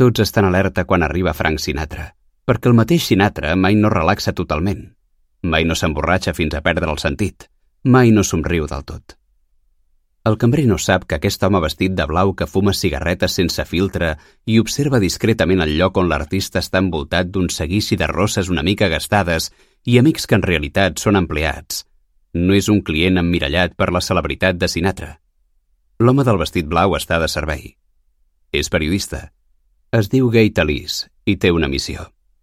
Tots estan alerta quan arriba Frank Sinatra, perquè el mateix Sinatra mai no relaxa totalment. Mai no s'emborratxa fins a perdre el sentit. Mai no somriu del tot. El cambrer no sap que aquest home vestit de blau que fuma cigarretes sense filtre i observa discretament el lloc on l'artista està envoltat d'un seguici de rosses una mica gastades i amics que en realitat són empleats. No és un client emmirallat per la celebritat de Sinatra. L'home del vestit blau està de servei. És periodista. Es diu Gay Talese i té una missió.